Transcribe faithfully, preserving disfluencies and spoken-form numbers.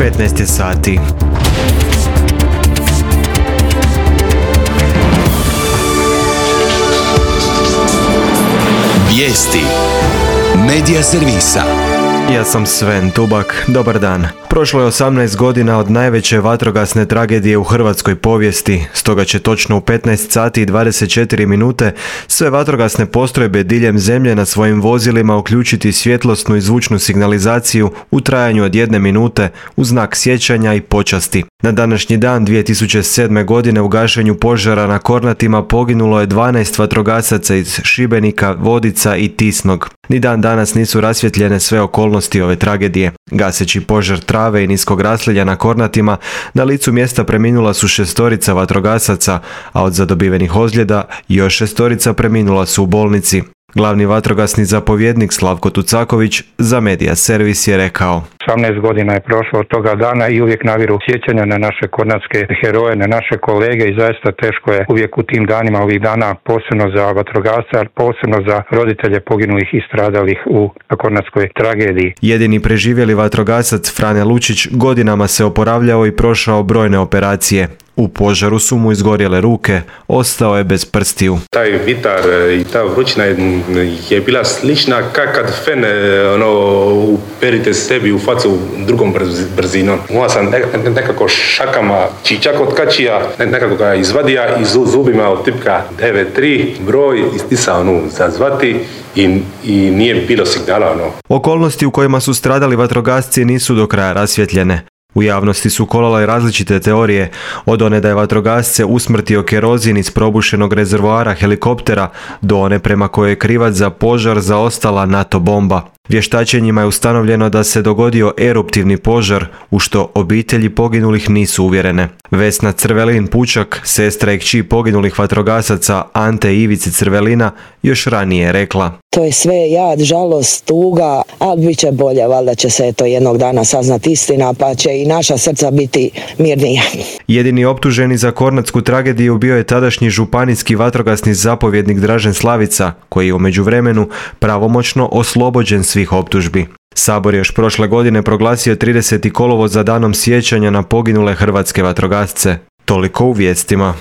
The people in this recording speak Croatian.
petnaest je sati. Vijesti Medija servisa. Ja sam Sven Tubak, dobar dan. Prošlo je osamnaest godina od najveće vatrogasne tragedije u hrvatskoj povijesti, stoga će točno u petnaest sati i dvadeset četiri minute sve vatrogasne postrojbe diljem zemlje na svojim vozilima uključiti svjetlosnu i zvučnu signalizaciju u trajanju od jedne minute u znak sjećanja i počasti. Na današnji dan dvije tisuće sedme. godine u gašenju požara na Kornatima poginulo je dvanaest vatrogasaca iz Šibenika, Vodica i Tisnog. Ni dan danas nisu rasvjetljene sve okolnosti ove tragedije. Gaseći požar trave i niskog rasljeđa na Kornatima, na licu mjesta preminula su šestorica vatrogasaca, a od zadobivenih ozljeda još šestorica preminula su u bolnici. Glavni vatrogasni zapovjednik Slavko Tucaković za Medija servis je rekao: osamnaest godina je prošlo od toga dana i uvijek naviru sjećanja na naše kornatske heroje, na naše kolege i zaista teško je uvijek u tim danima, ovih dana, posebno za vatrogasce, ali posebno za roditelje poginulih i stradalih u kornatskoj tragediji. Jedini preživjeli vatrogasac Frane Lučić godinama se oporavljao i prošao brojne operacije. U požaru su mu izgorjele ruke, ostao je bez prstiju. Taj vitar i ta vrućina je bila slična kao kad fen ono, uperite sebi u facu drugom brzinom. Moja sam nekako šakama čičak od kačija, nekako ga izvadija i zubima od tipka devet tri broj istisao onu zazvati i, i nije bilo signala. Ono. Okolnosti u kojima su stradali vatrogasci nisu do kraja rasvjetljene. U javnosti su kolale različite teorije, od one da je vatrogasce usmrtio kerozin iz probušenog rezervoara helikoptera do one prema kojoj je krivac za požar zaostala NATO bomba. Vještačenjima je ustanovljeno da se dogodio eruptivni požar, u što obitelji poginulih nisu uvjerene. Vesna Crvelin Pučak, sestra i kći poginulih vatrogasaca Ante i Ivice Crvelina, još ranije je rekla: to je sve jad, žalost, tuga, ali bit će bolje, valjda će se to jednog dana saznati istina, pa će i naša srca biti mirnija. Jedini optuženi za kornatsku tragediju bio je tadašnji županijski vatrogasni zapovjednik Dražen Slavica, koji je u međuvremenu pravomoćno oslobođen svih optužbi. Sabor je još prošle godine proglasio trideseti kolovoz za danom sjećanja na poginule hrvatske vatrogasce. Toliko u vijestima.